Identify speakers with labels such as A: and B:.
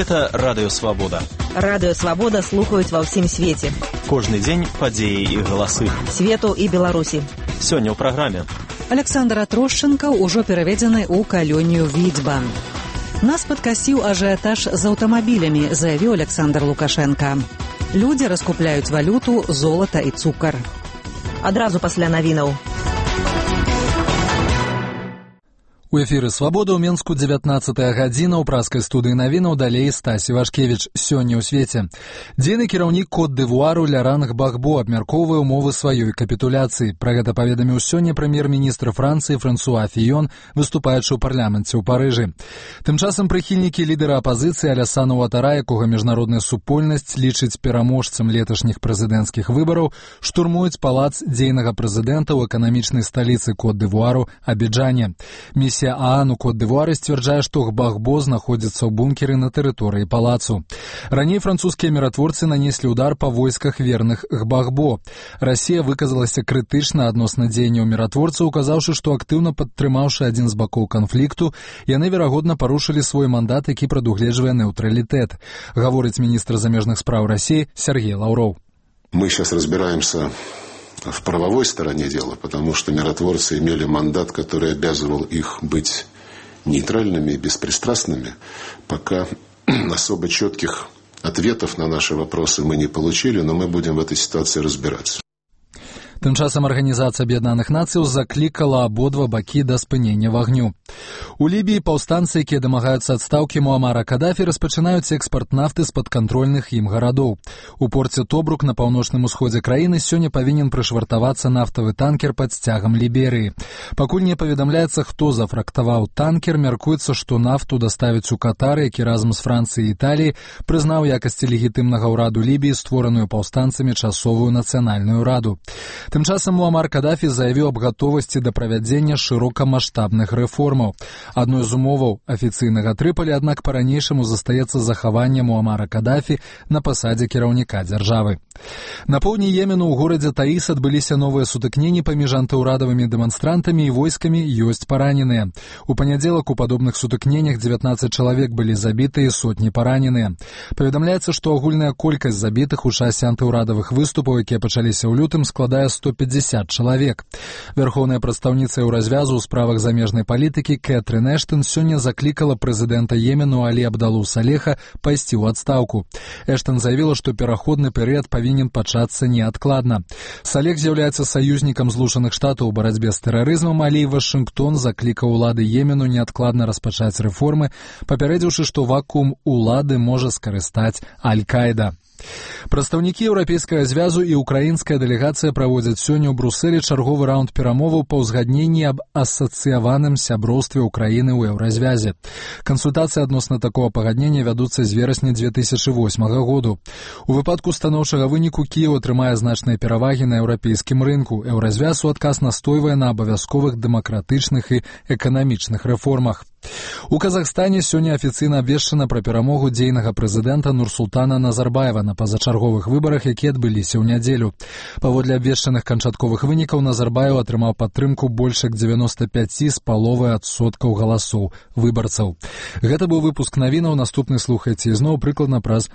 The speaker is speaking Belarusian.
A: Гэта Радыё Свабода.
B: Радыё Свабода слухаюць ва ўсім свеце.
A: Кожны дзень падзеі і галасы.
B: Свету і Беларусі.
A: Сёння ў праграме.
C: Александр Атрушченко ўжо пераведзены ў калонію Відзьба. Нас падкасіў ажыятаж з аўтамабілямі, заявіў Александр Лукашенко. Людзі раскупляюць валюту, золата і цукар.
B: Адразу пасля навінаў.
D: У эфіры «Свабода» ў Менску 19-я гадзіна, ў праскай студыі навінаў далей Стасі Вашкевіч. Сёння ў свеце. Дзейны кіраўнік Кот-д'Івуару Ляранг Багбо абмяркоўвае ўмовы сваёй капітуляцыі. Пра гэта паведаміў сёння прэм'ер-міністр Францыі Франсуа Фіён, выступаючы ў парламенце ў Парыжы. Тым часам прыхільнікі лідара апазіцыі Алясана Уатара, якога міжнародная супольнасць лічыць пераможцам леташніх прэзідэнцкіх выбараў, штурмуюць палац дзейнага прэзідэнта ў эканамічнай сталіцы Кот-д'Івуару Абіджане. Місія ААН у Кот-д'Івуары сцвярджае, што Гбагбо знаходзіцца ў бункеры на тэрыторыі палацу. Раней французскія міратворцы нанеслі ўдар па войсках верных Гбагбо. Расія выказалася крытычна адносна дзеянняў міратворцаў, указаўшы, што актыўна падтрымаўшы адзін з бакоў канфлікту, яны, верагодна, парушылі свой мандат, які прадугледжвае нейтралітэт. Гаворыць міністр замежных спраў России Сергей Лавров.
E: Мы сейчас разбираемся в правовой стороне дела, потому что миротворцы имели мандат, который обязывал их быть нейтральными и беспристрастными. Пока особо четких ответов на наши вопросы мы не получили, но мы будем в этой ситуации разбираться.
D: Тым часам Арганізацыя Аб'яднаных Нацыяў заклікала абодва бакі да спынення вагню. У Лібіі паўстанцы, якія дамагаюцца адстаўкі Муамара Кадафі, распачынаюць экспарт нафты з падкантрольных ім гарадоў. У порце Тобрук на паўночным усходзе краіны сёння павінен прышвартавацца нафтавы танкер пад сцягам Ліберыі. Пакуль не паведамляецца, хто зафрактаваў танкер, мяркуецца, што нафту даставяць у Катар, які разам з Францыяй і Італіяй прызнаў якасці легітымнага ўраду Лібіі створаную паўстанцамі часовую нацыянальную раду. Тым часам Муамар Кадафі заявіў аб гатовасці да правядзення шырокамаштабных рэформаў. Адной з умоваў афіцыйнага Трыполі, аднак па-ранейшаму застаецца захаванне Муамара Кадафі на пасадзе кіраўніка дзяржавы. На поўдні Йемену ў горадзе Таіс адбыліся новыя сутыкненні паміж антыўрадавымі дэманстрантамі і войскамі, ёсць параненыя. У панядзелак у падобных сутыкненнях 19 чалавек былі забітыя і сотні параненыя. Паведамляецца, што агульная колькасць забітых у часе антыўрадавых выступаў, якія пачаліся ў лютым, складае 150 чалавек. Вярхоўная прадстаўніца Еўразвязу ў справах замежнай палітыкі Кэтрын Эштон сёння заклікала прэзідэнта Йемену Алі Абдалу Салеха пайсці ў адстаўку. Эштон заявіла, што пераходны перыяд павінен пачацца неадкладна. Салех з'яўляецца саюзнікам Злучаных Штатаў у барацьбе з тэрарызмам, але і Вашынгтон заклікаў улады Йемену неадкладна распачаць рэформы, папярэдзіўшы, што вакуум улады можа скарыстаць Аль-Каіда. Прадстаўнікі Еўрапейскага звязу і украінская дэлегацыя праводзяць сёння ў Брусэлі чарговы раунд перамоваў па ўзгадненні аб асацыяваным сяброўстве Украіны ў Еўразвязе. Кансультацыі адносна такога пагаднення вядуцца з верасня 2008 году. У выпадку станоўчага выніку Кіеў атрымае значныя перавагі на еўрапейскім рынку. Еўразвяз у адказ настойвае на абавязковых дэмакратычных і эканамічных рэформах. У Казахстане сёння афіцыйна абвешчана пра перамогу дзейнага прэзідэнта Нурсултана Назарбаева на пазачарговых выбарах, якія адбыліся ў нядзелю. Паводле абвешчаных канчатковых вынікаў Назарбаев атрымаў падтрымку больш як 95,5% галасоў выбарцаў. Гэта быў выпуск навінаў, наступны слухайце ізноў прыкладна праз